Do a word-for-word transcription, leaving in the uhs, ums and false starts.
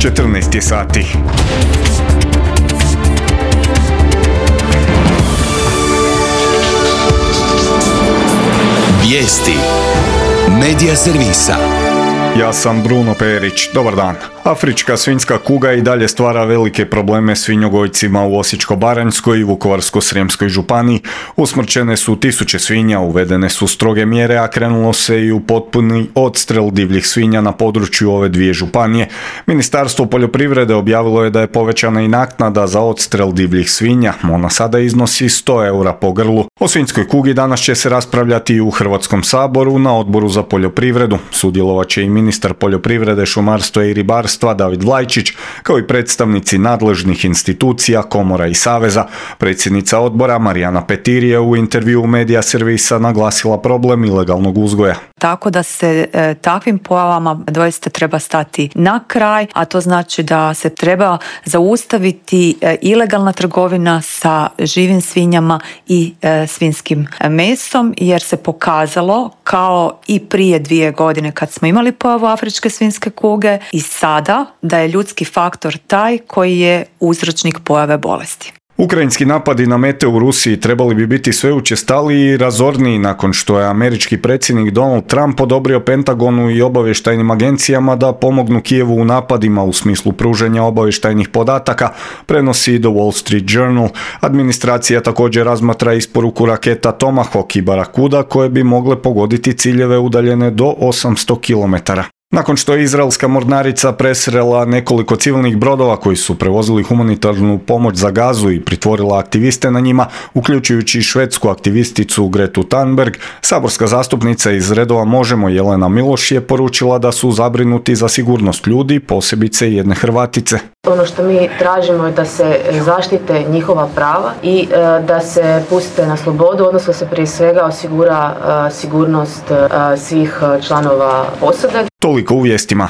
četrnaest je sati. Vijesti Medija servisa. Ja sam Bruno Perić. Dobar dan. Afrička svinjska kuga i dalje stvara velike probleme svinjogojcima u Osječko-baranjskoj i Vukovarsko-srijemskoj županiji. Usmrćene su tisuće svinja, uvedene su stroge mjere, a krenulo se i u potpuni odstrel divljih svinja na području ove dvije županije. Ministarstvo poljoprivrede objavilo je da je povećana i naknada za odstrel divljih svinja. Ona sada iznosi sto eura po grlu. O svinjskoj kugi danas će se raspravljati i u Hrvatskom saboru na Odboru za poljoprivredu. Sudjelovat će i ministar poljoprivrede, šumarstva i ribarstva David Vlajčić, kao i predstavnici nadležnih institucija, komora i saveza. Predsjednica odbora Marijana Petir je u intervjuu Medija servisa naglasila problem ilegalnog uzgoja. Tako da se e, takvim pojavama doista treba stati na kraj, a to znači da se treba zaustaviti e, ilegalna trgovina sa živim svinjama i e, svinjskim mesom, jer se pokazalo kao i prije dvije godine kad smo imali pojavu afričke svinjske kuge i sada da je ljudski faktor taj koji je uzročnik pojave bolesti. Ukrajinski napadi na mete u Rusiji trebali bi biti sve učestaliji i razorniji nakon što je američki predsjednik Donald Trump odobrio Pentagonu i obavještajnim agencijama da pomognu Kijevu u napadima u smislu pružanja obavještajnih podataka, prenosi The Wall Street Journal. Administracija također razmatra isporuku raketa Tomahawk i Barakuda koje bi mogle pogoditi ciljeve udaljene do osamsto kilometara. Nakon što je izraelska mornarica presrela nekoliko civilnih brodova koji su prevozili humanitarnu pomoć za Gazu i pritvorila aktiviste na njima, uključujući švedsku aktivisticu Gretu Thunberg, saborska zastupnica iz redova Možemo Jelena Miloš je poručila da su zabrinuti za sigurnost ljudi, posebice jedne Hrvatice. Ono što mi tražimo je da se zaštite njihova prava i e, da se puste na slobodu, odnosno se prije svega osigura e, sigurnost e, svih članova posade. Toliko u vijestima.